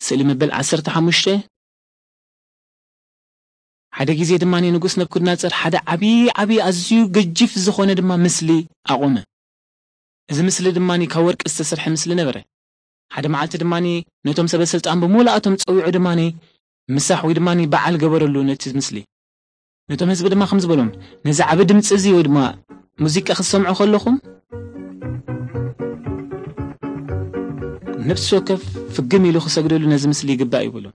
ስእሊ መበል ዓሰርተ ሓሙሽተ። ሓደ ግዜ ድማ ንጉስ ነብኩድናጸር ሓደ ዓቢ ዓቢ ኣዝዩ ገጅፍ ዝኾነ ድማ ምስሊ ኣቖመ። እዚ ምስሊ ድማ ካብ ወርቂ ዝተሰርሐ ምስሊ ነበረ። ሓደ መዓልቲ ድማ ነቶም ሰበ ስልጣን ብምሉኣቶም ጸዊዑ ድማ ምሳሕ ወይ ድማ በዓል ገበረሉ ነቲ ምስሊ። ነቶም ህዝቢ ድማ ከም ዝበሎም፣ ነዚ ዓቢ ድምጺ እዚ ወይ ድማ ሙዚቃ ክትሰምዑ ከለኹም፣ ነፍሲ ወከፍ ፍግም ኢሉ ክሰግደሉ ነዚ ምስሊ ይግባእ ይበሎም።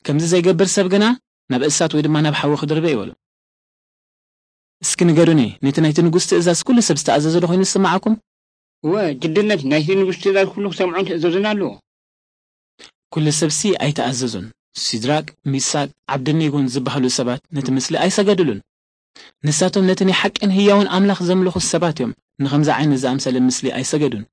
ከምዚ ዘይገብር ሰብ ግና ናብ እሳት ወይ ድማ ናብ ሓዊ ክድርበ ይበሎም። እስኪ ንገሩኒ፣ ነቲ ናይቲ ንጉስ ትእዛዝ ኩሉ ሰብ ዝተኣዘዘ ዶ ኮይኑ ዝስምዓኩም? እወ፣ ግድነት ናይቲ ንጉስ ትእዛዝ ኩሉ ክሰምዖን ክእዘዙን ኣለዎ። ኩሉ ሰብሲ ኣይተኣዘዙን። ሲድራቅ፣ ሚሳቅ፣ ዓብደኔጎን ዝበሃሉ ሰባት ነቲ ምስሊ ኣይሰገድሉን። ንሳቶም ነቲ ናይ ሓቅን ህያውን ኣምላኽ ዘምልኹ ሰባት እዮም። ንኸምዚ ዓይነት ዝኣምሰለ ምስሊ ኣይሰገዱን።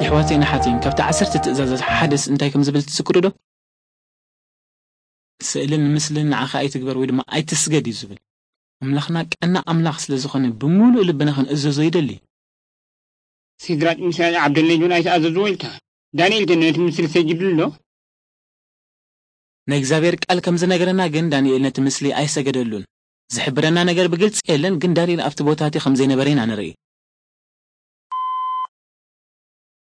የሕዋተይን ኣሓተይን፣ ካብቲ ዓሰርተ ትእዛዛት ሓደስ እንታይ ከም ዝብል ትዝክሩ ዶ? ስእልን ምስልን ንዓኻ ኣይትግበር ወይ ድማ ኣይትስገድ እዩ ዝብል። ኣምላኽና ቀና ኣምላኽ ስለ ዝኾነ ብምሉእ ልብና ክንእዘዞ ይደሊ። ሲድራቅ፣ ሚሳቅ፣ ዓብደልኔጎን ኣይተኣዘዝዎ ኢልካ። ዳንኤል ግን ነቲ ምስል ሰጊድሉ ኣሎ። ናይ እግዚኣብሔር ቃል ከም ዝነገረና ግን ዳንኤል ነቲ ምስሊ ኣይሰገደሉን። ዝሕብረና ነገር ብግልጺ የለን፣ ግን ዳንኤል ኣብቲ ቦታ እቲ ከም ዘይነበረ ኢና ንርኢ።